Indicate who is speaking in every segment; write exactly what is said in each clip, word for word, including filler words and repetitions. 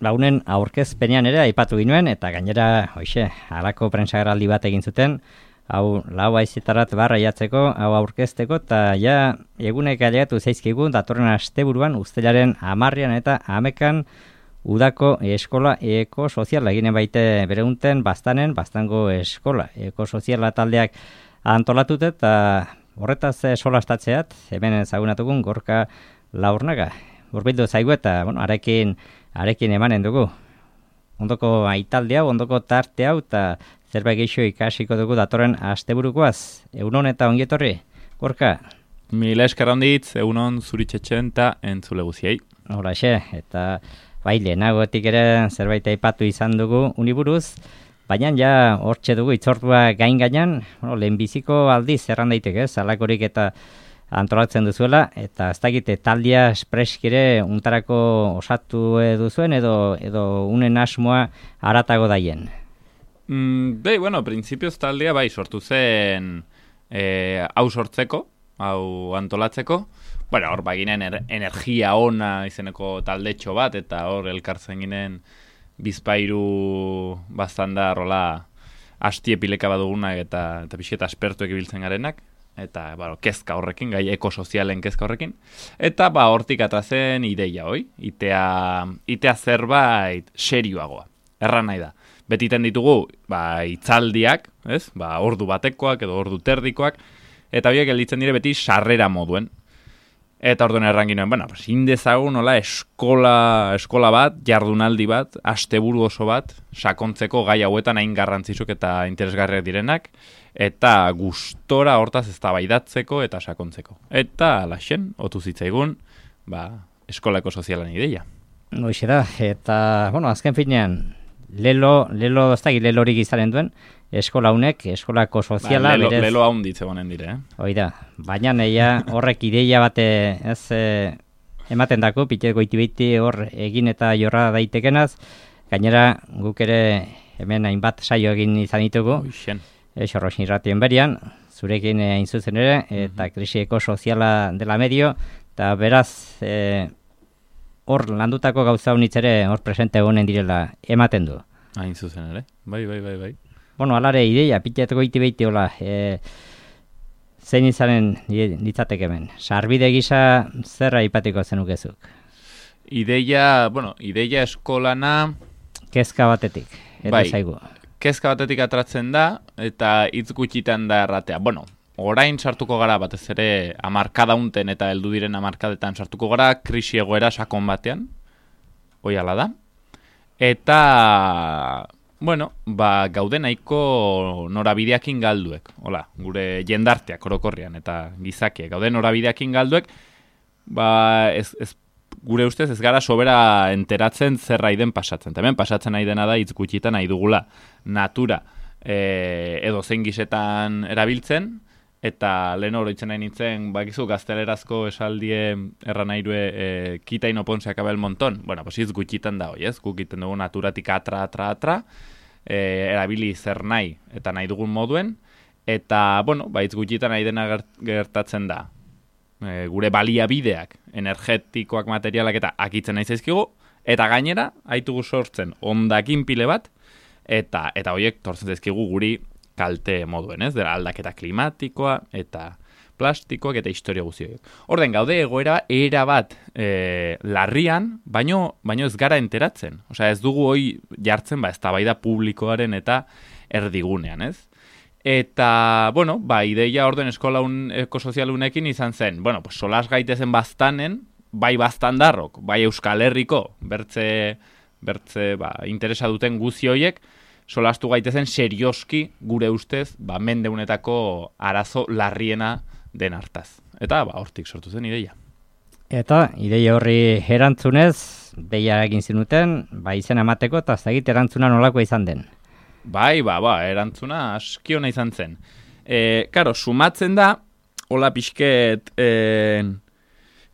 Speaker 1: launen aurkezpenean ere aipatu ginuen, eta gainera, hoxe, halako prentsagerraldi bat egin zuten, hau lau haizetarat barra jatzeko, hau aurkezteko, eta ja egunek ailegatu zaizkigu, datorren asteburuan, ustelaren hamarrean eta hamekan udako eskola ekosoziala eginen baite bereunten bastanen, bastango eskola ekosoziala taldeak antolatut, eta horretaz solastatzeat, hemen ezagunatugun Gorka Laurnaga. Urbildu zaigu eta, bueno, arekin, arekin emanen dugu. Ondoko aitalde hau, ondoko tarte hau, eta zerbait gehiago ikasiko dugu datorren asteburukoaz. Egunon eta ongietorri, Gorka?
Speaker 2: Mila esker handitz, egunon zuritxetxen eta entzule guziei.
Speaker 1: Horaxe, eta bai, lehenagoetik ere zerbait aipatu izan dugu uniburuz, baina ja hortxe dugu itzortua gain gainan, bueno, lehenbiziko aldiz erran daiteke, ez, alakorik eta antolatzen duzuela, eta ez dakite taldia espreskire untarako osatu duzuen edo edo unen asmoa haratago daien.
Speaker 2: Mm, bai, bueno, printzipioz taldea bai sortu zen eh, hau sortzeko, hau antolatzeko. Bueno, hor baginen er, energia ona izeneko taldetxo bat, eta hor elkartzen ginen bizpairu bastanda rola asti epileka badugunak eta, eta pixeta aspertuek ibiltzen garenak. Eta ba, kezka horrekin, gai ekosozialen kezka horrekin. Eta ba, hortik atrazen ideia, hoi? Itea, itea zerbait serioagoa. Erran nahi da. Betiten ditugu, ba, itzaldiak, ez? Ba, ordu batekoak edo ordu terdikoak. Eta horiek gelditzen dire beti sarrera moduen. Eta orduan erran ginoen, bueno, pues, indezagun nola eskola, eskola bat, jardunaldi bat, asteburu oso bat, sakontzeko gai hauetan hain garrantzitsuk eta interesgarriak direnak, eta gustora hortaz eztabaidatzeko eta sakontzeko. Eta laxen, otu zitzaigun, ba, eskolako sozialan ideia.
Speaker 1: Hoxe da, eta, bueno, azken finean, lelo, lelo, ez da, lelorik izanen duen, eskola unek, eskolako soziala,
Speaker 2: ba, lelo,
Speaker 1: berez...
Speaker 2: Lelo haunditze gonen dire, eh?
Speaker 1: Hoi da, baina neia horrek ideia bate, ez, e, ematen dako, pite goiti-beiti hor egin eta jorra daitekenaz, gainera guk ere hemen hainbat saio egin izan ditugu, Xorrosin irratien berian, zurekin hain zuzen ere, eta krisi ekosoziala dela medio, eta beraz, e, hor landutako gauza honitz ere hor presente honen direla ematen du.
Speaker 2: Hain zuzen ere, bai, bai, bai, bai.
Speaker 1: Bueno, alare ideia, pitet goiti-beiti hola, e, zein izanen ditzateke hemen. Sarbide gisa zerra ipatiko zenukezuk?
Speaker 2: Ideia, bueno, ideia eskolana...
Speaker 1: Kezka batetik, eta
Speaker 2: bai,
Speaker 1: zaigu.
Speaker 2: Kezka batetik atratzen da, eta hitz gutxitan da erratea. Bueno, orain sartuko gara batez ere hamarkada unten eta heldu diren hamarkadetan sartuko gara, krisi egoera sakon batean, hoi ala da. Eta... Bueno, ba, gaude nahiko norabideakin galduek, hola, gure jendarteak orokorrian eta gizakiek, gaude norabideakin galduek, ba, ez, ez, gure ustez ez gara sobera enteratzen zer den pasatzen. Hemen pasatzen nahi dena da hitz gutxitan nahi dugula natura e, edo zein gisetan erabiltzen, eta lehen oroitzen nahi nintzen, bakizu gaztelerazko esaldie erran nairue e, kita y no ponse acaba el montón. Bueno, pues hitz gutxitan da hoi, ez? Guk iten dugu naturatik atra, atra, atra, e, erabili zer nahi eta nahi dugun moduen, eta, bueno, ba, hitz gutxitan nahi dena gertatzen da. E, gure baliabideak, energetikoak, materialak eta akitzen nahi zaizkigu, eta gainera, haitugu sortzen ondakin pile bat, eta eta horiek tortzen zaizkigu guri kalte moduen, ez? Dela aldaketa klimatikoa eta plastikoak eta historia guzioak. Orden gaude egoera era bat e, larrian, baino, baino ez gara enteratzen. Osea, ez dugu hoi jartzen ba eztabaida publikoaren eta erdigunean, ez? Eta, bueno, ba, ideia orden eskola un, ekosozialunekin izan zen, bueno, pues solas gaitezen baztanen, bai baztandarrok, bai Euskal Herriko, bertze, bertze, ba, interesa duten guzi hoiek, solastu gaitezen serioski gure ustez, ba, mendeunetako arazo larriena den hartaz. Eta, ba, hortik sortu zen ideia.
Speaker 1: Eta, ideia horri erantzunez, deia egin zinuten, ba, izen emateko, eta zagit erantzuna nolako izan den.
Speaker 2: Bai, ba, ba, erantzuna aski ona izan zen. E, karo, sumatzen da, hola pixket, e,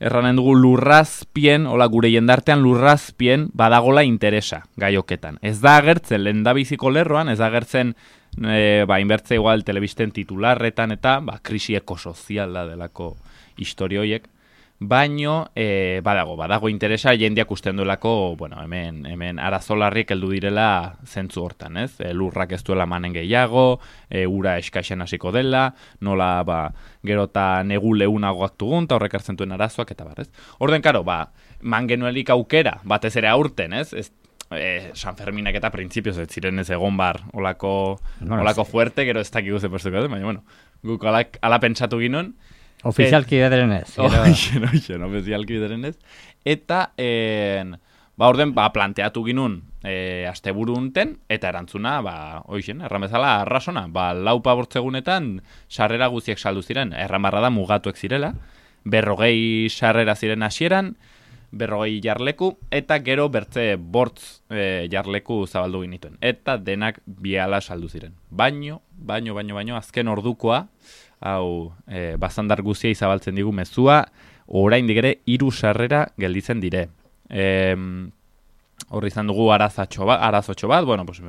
Speaker 2: erranen dugu lurrazpien, hola gure jendartean lurrazpien badagola interesa gaioketan. Ez da agertzen lehendabiziko lerroan, ez da agertzen e, ba, inbertze igual telebisten titularretan eta ba, krisi ekosoziala delako historioiek. baino e, badago, badago interesa jendeak usten duelako, bueno, hemen, hemen arazolarriek heldu direla zentzu hortan, ez? E, lurrak ez duela manen gehiago, e, ura eskaixen hasiko dela, nola, ba, gero eta negu leunagoak dugun, eta horrek hartzen duen arazoak, eta bar, ez? Orden, karo, ba, man genuelik aukera, batez ere aurten, ez? Ez eh, San Ferminak eta printzipioz ez ziren ez egon bar, olako, bueno, olako fuerte, gero ez dakik guze postuko, baina, bueno, guk ala, ala pentsatu ginen,
Speaker 1: ofizialki bederen ez.
Speaker 2: Oixen, oixen, ofizialki bederen ez. Eta, en, ba, orden, ba, planteatu ginun e, asteburu unten, eta erantzuna, ba, oixen, erramezala, arrasona, ba, laupa bortzegunetan sarrera guziek saldu ziren, erramarra da mugatuek zirela, berrogei sarrera ziren hasieran, berrogei jarleku, eta gero bertze bortz e, jarleku zabaldu ginituen. Eta denak biala saldu ziren. Baino, baino, baino, baino, azken ordukoa, hau, e, bazandar guzia izabaltzen digu mezua, oraindik ere hiru sarrera gelditzen dire. E, Horri izan dugu arazatxo bat, arazotxo bat, bueno, pues,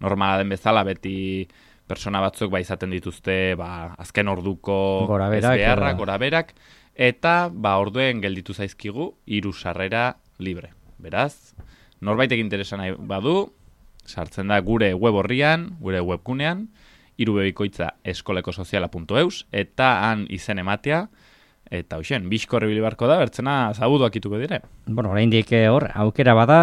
Speaker 2: normala den bezala beti persona batzuk ba izaten dituzte, ba, azken orduko ezbeharrak, goraberak, eta ba orduen gelditu zaizkigu hiru sarrera libre. Beraz, norbaitek interesa nahi badu, sartzen da gure web horrian, gure webgunean, irubebikoitza eskolekosoziala puntu eus, eta han izen ematea, eta hoxen, bizkorri bilibarko da, bertzena zabuduak ituko dire.
Speaker 1: Bueno, oraindik hor, aukera bada,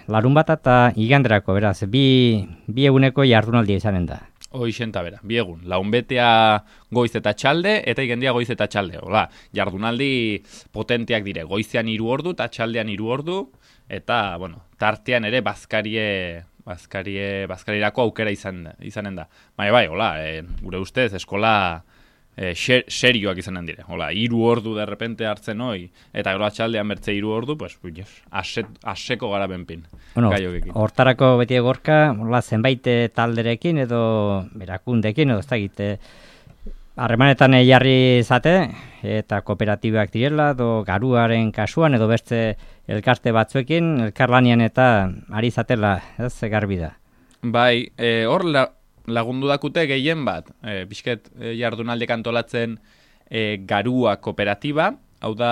Speaker 1: larun bat eta iganderako, beraz, bi, bi eguneko jardunaldia izanen da.
Speaker 2: Hoxen eta bera, bi egun, launbetea goiz eta txalde, eta igendia goiz eta txalde. Hola, jardunaldi potenteak dire, goizean hiru ordu, eta txaldean hiru ordu, eta, bueno, tartean ere bazkarie... Bazkarie, bazkarirako aukera izan, izanen da. Bai, bai, hola, e, gure ustez, eskola e, xer, serioak izanen dire. Hola, hiru ordu derrepente hartzen hoi, eta gero atxaldean bertze hiru ordu, pues, aset, aseko gara benpin.
Speaker 1: Bueno, hortarako beti egorka, hola, zenbait talderekin edo berakundekin, edo ez da egite, harremanetan jarri zate, eta kooperatibak direla, edo garuaren kasuan, edo beste elkarte batzuekin, elkarlanian eta ari zatela, ez, garbi da.
Speaker 2: Bai, e, hor la, lagundu dakute gehien bat, e, pixket e, jardunaldik antolatzen e, garua kooperatiba, hau da,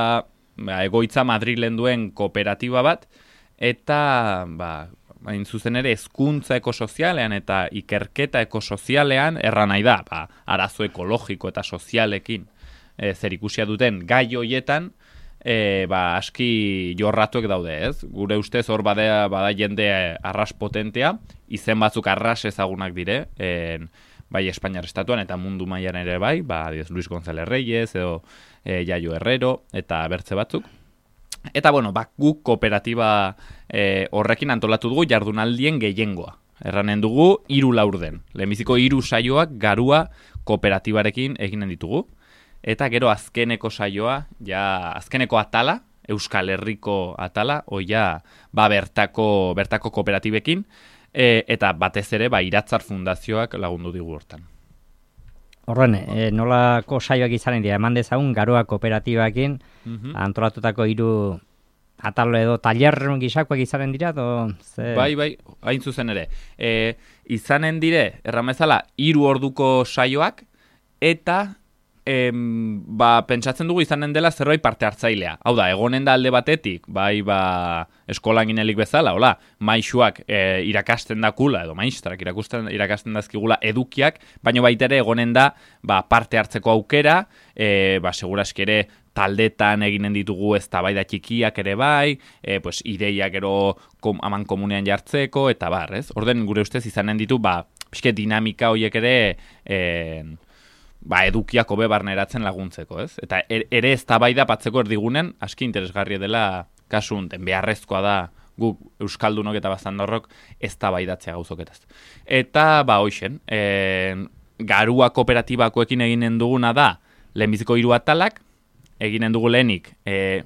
Speaker 2: ba, egoitza Madrilen duen kooperatiba bat, eta, ba, hain zuzen ere, hezkuntza ekosozialean eta ikerketa ekosozialean erra nahi da, ba, arazo ekologiko eta sozialekin e, zerikusia duten gai hoietan, E, ba, aski jorratuek daude, ez? Gure ustez hor bada, bada jende arras potentea, izen batzuk arras ezagunak dire, en, bai Espainiar estatuan eta mundu mailan ere bai, ba, diez, Luis González Reyes edo e, Yayo Herrero eta bertze batzuk. Eta, bueno, ba, guk kooperatiba e, horrekin antolatu dugu jardunaldien gehiengoa. Erranen dugu hiru laurden. Lehenbiziko hiru saioak garua kooperatibarekin eginen ditugu. Eta gero azkeneko saioa, ja azkeneko atala, Euskal Herriko atala, oia ba bertako, bertako kooperatibekin, e, eta batez ere ba Iratzar Fundazioak lagundu digu hortan.
Speaker 1: Horren, e, nolako saioak izanen dira, eman dezagun garua kooperatibakin,
Speaker 2: Mm-hmm.
Speaker 1: antolatutako hiru atal edo taller gisakoak izanen dira, edo ze...
Speaker 2: Bai, bai, hain zuzen ere. E, izanen dire, erramezala, hiru orduko saioak, eta... Em, ba, pentsatzen dugu izanen dela zerbait parte hartzailea. Hau da, egonen da alde batetik, bai, ba, eskolan ginelik bezala, hola, maixuak e, irakasten dakula, edo maistrak irakusten, irakasten dazkigula edukiak, baina baita ere egonen da, ba, parte hartzeko aukera, e, ba, seguraski ere taldetan eginen ditugu eztabaida txikiak ere bai, e, pues, ideia gero kom, aman komunean jartzeko, eta bar, ez? Orden gure ustez izanen ditu, ba, pixke dinamika horiek ere, e, ba, edukiak hobe barneratzen laguntzeko, ez? Eta ere eztabaida patzeko erdigunen aski interesgarria dela kasu unten, beharrezkoa da guk euskaldunok eta bazandorrok eztabaidatzea gauzoketaz. Eta, ba, hoixen, e, garua kooperatibakoekin eginen duguna da, lehenbiziko hiru atalak, eginen dugu lehenik, e,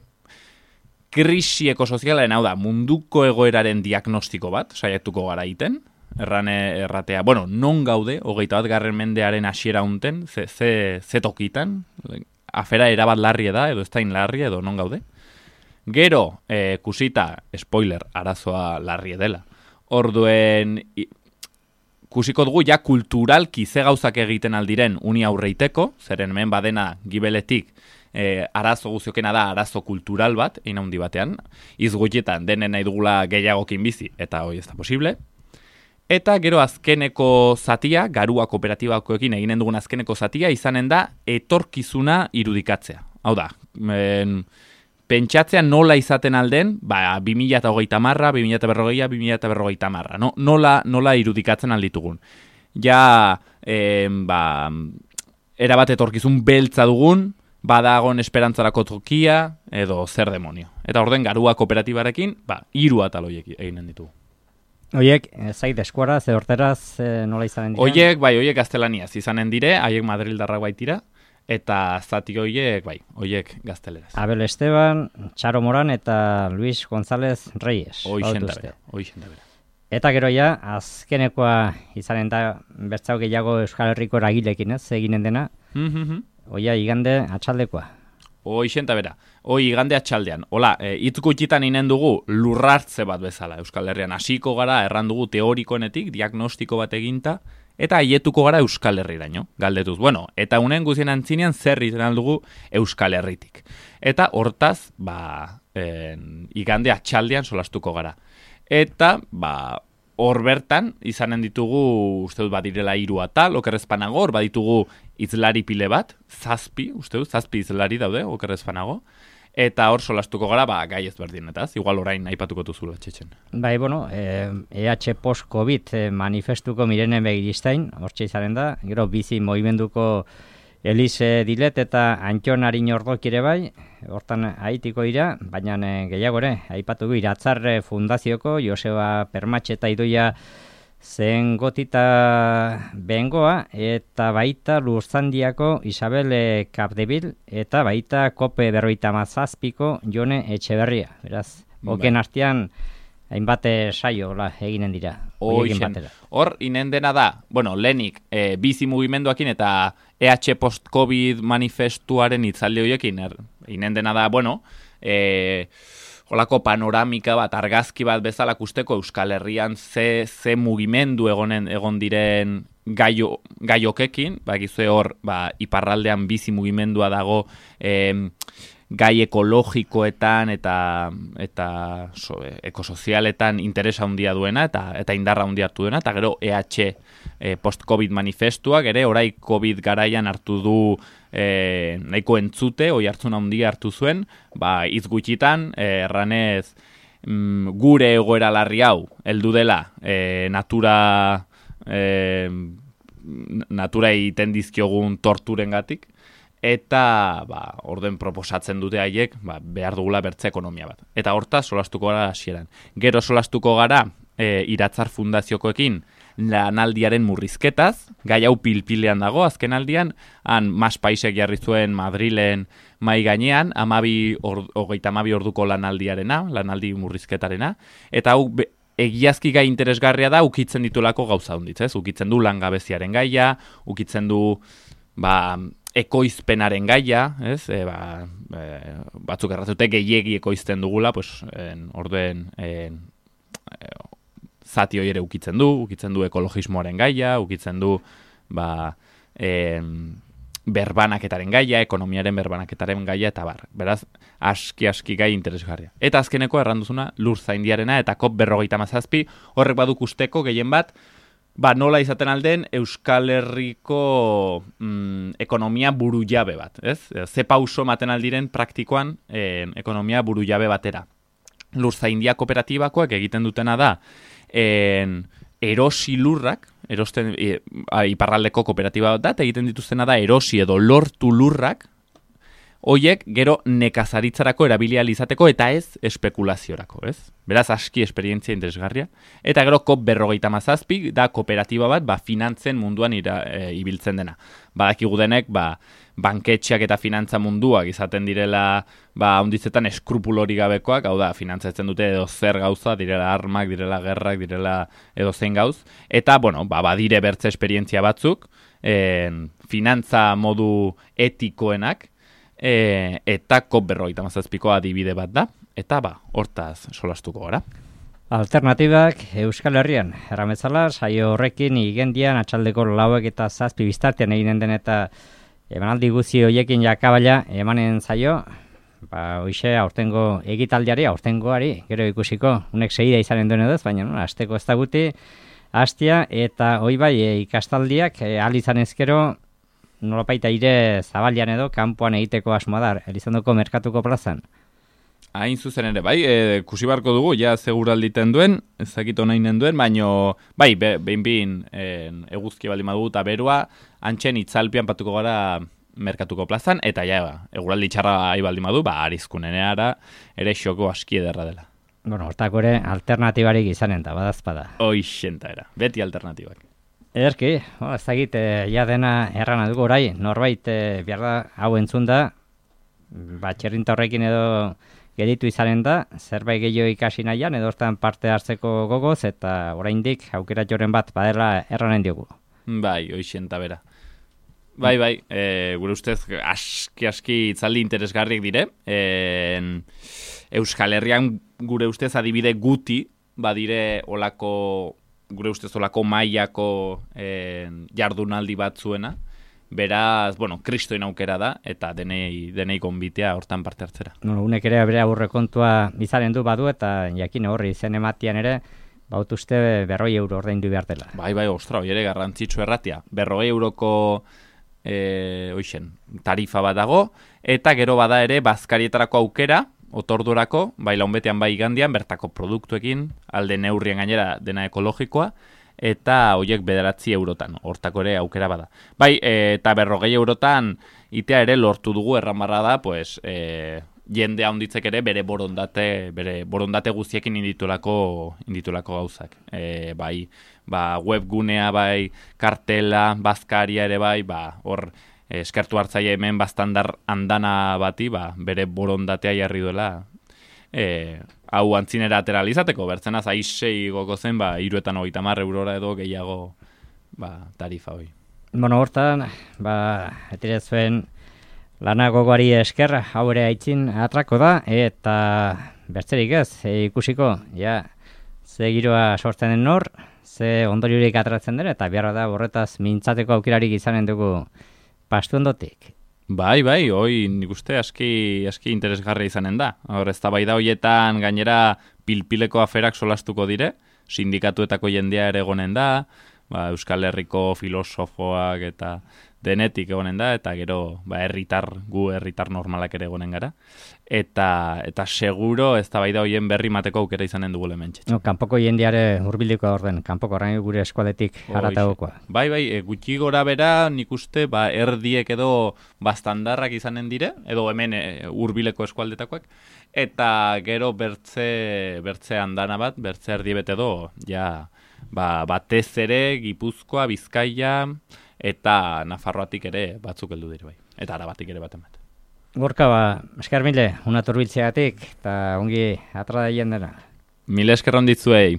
Speaker 2: krisi ekosozialen, hau da, munduko egoeraren diagnostiko bat, saiatuko gara egiten, errane erratea, bueno, non gaude, hogeita bat garren mendearen hasiera unten, ze, ze, ze tokitan, afera erabat larri da, edo ez da larri edo non gaude. Gero, e, kusita, spoiler, arazoa larri dela. Orduen, i, kusiko dugu ja kulturalki ze gauzak egiten aldiren uni aurreiteko, zeren hemen badena gibeletik, e, arazo guziokena da arazo kultural bat, egin handi batean, izgutietan denen nahi dugula gehiagokin bizi, eta hoi ez da posible. Eta gero azkeneko zatia, garua kooperatibakoekin eginen dugun azkeneko zatia, izanen da etorkizuna irudikatzea. Hau da, en, pentsatzea nola izaten alden, ba, bi mila hogeita marra, bi mila berrogeia, bi mila berrogeita marra. No? Nola, nola irudikatzen alditugun. Ja, en, ba, erabat etorkizun beltza dugun, badagon esperantzarako tokia, edo zer demonio. Eta orden garua kooperatibarekin, ba, hiru atal horiek eginen ditugu.
Speaker 1: Oiek, zait eskuara, ze horteraz, nola izanen dira?
Speaker 2: Oiek, bai, oiek gaztelaniaz izanen dire, haiek Madrildarrak baitira, eta zati oiek, bai, oiek gazteleraz.
Speaker 1: Abel Esteban, Txaro Moran eta Luis González Reyes.
Speaker 2: Oixen da bera, oixen da bera.
Speaker 1: Eta gero ja, azkenekoa izanen da, bertzau gehiago Euskal Herriko eragilekin, ez, eginen dena.
Speaker 2: Mm-hmm.
Speaker 1: Oia, igande atxaldekoa.
Speaker 2: Oixen da bera. Oi, igande atxaldean. Hola, e, itzkutxitan inen dugu lurrartze bat bezala Euskal Herrian. Hasiko gara, erran dugu teorikoenetik, diagnostiko bat eginta, eta haietuko gara Euskal Herriraino, galdetuz. Bueno, eta unen guzien antzinean zer izan dugu Euskal Herritik. Eta hortaz, ba, en, igande atxaldean solastuko gara. Eta, ba, hor bertan, izanen ditugu, uste dut, badirela hiru atal, okerrezpanago, hor baditugu izlari pile bat, zazpi, uste dut, zazpi izlari daude, okerrezpanago, eta hor solastuko gara, ba, gai ezberdinetaz, igual orain aipatuko duzula txetxen.
Speaker 1: Bai, bueno, eh, E H post-COVID eh, manifestuko mirenen begiristain, hortxe izaren da, gero bizi movimenduko Elise Dilet eta Antxon Arin Ordok ere bai, hortan haitiko dira, baina eh, gehiago ere, aipatuko Iratzar Fundazioko Joseba Permatxe eta Idoia zen gotita bengoa, eta baita Lurzandiako Isabel Capdevil, eta baita Kope berroita mazazpiko Jone Etxeberria. Beraz, oken artean, hainbat saio la, eginen dira.
Speaker 2: Hor, inen dena da, bueno, lehenik, e, bizi mugimenduakin eta E H post-COVID manifestuaren itzaldi horiekin, er, inen dena da, bueno, e, holako panoramika bat, argazki bat bezala kusteko Euskal Herrian ze, ze mugimendu egonen, egon diren gaio, gaiokekin, bakizue hor, ba, iparraldean bizi mugimendua dago, e, gai ekologikoetan eta eta so, ekosozialetan interesa handia duena eta eta indarra handia hartu duena, eta gero E H e, post-COVID manifestuak ere orai COVID garaian hartu du e, nahiko entzute, oi hartzun handia hartu zuen, ba hitz gutxitan e, erranez mm, gure egoera larri hau heldu dela e, natura e, natura egiten dizkiogun torturengatik. Eta ba, orden proposatzen dute haiek ba, behar dugula bertze ekonomia bat. Eta hortaz solastuko gara hasieran. Gero solastuko gara e, Iratzar Fundaziokoekin lanaldiaren murrizketaz, gai hau pilpilean dago, azken aldian, han mas paisek jarri zuen Madrilen mai gainean, amabi or, hogeita amabi orduko lanaldiarena, lanaldi murrizketarena, eta hau be, egiazki gai interesgarria da, ukitzen ditulako gauza hunditz, ez? Ukitzen du langabeziaren gaia, ukitzen du ba, ekoizpenaren gaia, ez? E, ba, e, batzuk errazute gehiegi ekoizten dugula, pues, en, orduen en, e, zati hori ere ukitzen du, ukitzen du ekologismoaren gaia, ukitzen du ba, en, berbanaketaren gaia, ekonomiaren berbanaketaren gaia, eta bar. Beraz, aski-aski gai interesgarria. Eta azkeneko erranduzuna lur zaindiarena eta kop berrogeita mazazpi, horrek baduk usteko gehien bat, ba, nola izaten alden Euskal Herriko mm, ekonomia burujabe bat, ez? Ze pauso maten aldiren praktikoan eh, ekonomia burujabe batera. Lurzaindia kooperatibakoak egiten dutena da en, erosi lurrak, erosten, e, iparraldeko kooperatiba bat da, eta egiten dituztena da erosi edo lortu lurrak, hoiek gero nekazaritzarako erabilia izateko eta ez espekulaziorako, ez? Beraz, aski esperientzia interesgarria. Eta gero kop berrogeita mazazpi da kooperatiba bat, ba, finantzen munduan ira, e, ibiltzen dena. Badakigu denek, ba, banketxeak eta finantza munduak izaten direla, ba, onditzetan eskrupulori gabekoak, hau da, finantzatzen dute edo zer gauza, direla armak, direla gerrak, direla edo zein gauz. Eta, bueno, ba, badire bertze esperientzia batzuk, en, finantza modu etikoenak, E, eta kop berrogeita mazazpiko adibide bat da, eta ba, hortaz solastuko gara.
Speaker 1: Alternatibak Euskal Herrian, errametzala, saio horrekin igendian atxaldeko lauek eta zazpi biztartean eginen den eta emanaldi guzi hoiekin jakabala emanen zaio, ba, hoxe, aurtengo egitaldiari, aurtengoari, gero ikusiko, unek segida izanen duen edo, baina, no, asteko ez da guti, hastia, eta hoi bai, e, ikastaldiak, e, ahal izan ezkero, nolapaita ire zabalian edo, kanpoan egiteko asmoa da, Elizondoko merkatuko plazan.
Speaker 2: Hain zuzen ere, bai, e, kusi barko dugu, ja seguralditen duen, ezakito nahi duen, baino, bai, be, behin behin e, eguzki baldin badugu eta berua, antxen itzalpian patuko gara merkatuko plazan, eta ja, eguraldi txarra baldin badu, ba, arizkuneneara ere xoko aski ederra dela.
Speaker 1: Bueno, hortako ere alternatibarik izanen da, badazpada.
Speaker 2: Hoixenta era, beti alternatibak.
Speaker 1: Ederki, oh, ez dakit, e, ja dena errana dugu orai, norbait e, behar da, hau entzun da, ba, txerrinta horrekin edo geditu izanen da, zerbait gehiago ikasi nahian, edo hortan parte hartzeko gogoz, eta oraindik aukera joren bat badela erranen diogu.
Speaker 2: Bai, hoixenta bera. Bai, bai, e, gure ustez aski-aski itzaldi interesgarriak dire. E, Euskal Herrian gure ustez adibide guti, badire olako, gure ustez olako mailako e, jardunaldi bat zuena. Beraz, bueno, kristoin aukera da, eta denei, denei konbitea hortan parte hartzera.
Speaker 1: No, unek ere bere aurrekontua izaren du badu, eta jakin horri zen ematian ere, baut uste berroi euro ordaindu behar dela.
Speaker 2: Bai, bai, ostra, hori ere garrantzitsu erratia. Berroi euroko e, oixen, tarifa bat dago, eta gero bada ere bazkarietarako aukera, otordurako, bai launbetean bai igandian, bertako produktuekin, alde neurrien gainera dena ekologikoa, eta horiek bederatzi eurotan, hortako ere aukera bada. Bai, e, eta berrogei eurotan itea ere lortu dugu erramarra da, pues, e, jende handitzek ere bere borondate, bere borondate guztiekin inditulako, inditulako gauzak. E, bai, ba, webgunea bai, kartela, bazkaria ere bai, ba, hor eskertu hartzaile hemen bastandar andana bati, ba, bere borondatea jarri duela, e, hau antzinera ateralizateko, bertzenaz aizei goko zen, ba, iruetan hogeita hamar eurora edo gehiago ba, tarifa hoi.
Speaker 1: Bueno, hortan, ba, etire zuen lana gogoari esker, hau ere aitzin atrako da, eta bertzerik ez, e, ikusiko, ja, ze giroa sortzen den nor, ze ondoriorik atratzen den, eta beharra da horretaz mintzateko aukerarik izanen dugu pastu ondotik.
Speaker 2: Bai, bai, hoi nik uste aski, aski interesgarria izanen da. Hor, ez da bai da hoietan gainera pilpileko aferak solastuko dire, sindikatuetako jendea ere egonen da, ba, Euskal Herriko filosofoak eta denetik egonen da, eta gero ba, herritar, gu herritar normalak ere egonen gara. Eta, eta seguro ez da bai da hoien berri mateko aukera izanen dugu lementxe.
Speaker 1: No, kanpoko jendeare hurbilduko orden, kanpoko orain gure eskualetik haratagokoa.
Speaker 2: Bai, bai, e, gutxi gora bera nik uste ba, erdiek edo bastandarrak izanen dire, edo hemen e, hurbileko eskualdetakoak, eta gero bertze, bertze andana bat, bertze erdi bete edo, ja, ba, batez ere Gipuzkoa, Bizkaia, eta Nafarroatik ere batzuk heldu dire bai, eta Arabatik ere baten bat.
Speaker 1: Gorka, ba, esker mile, una turbiltzeatik, eta ongi atra da jendena.
Speaker 2: Mile esker onditzuei.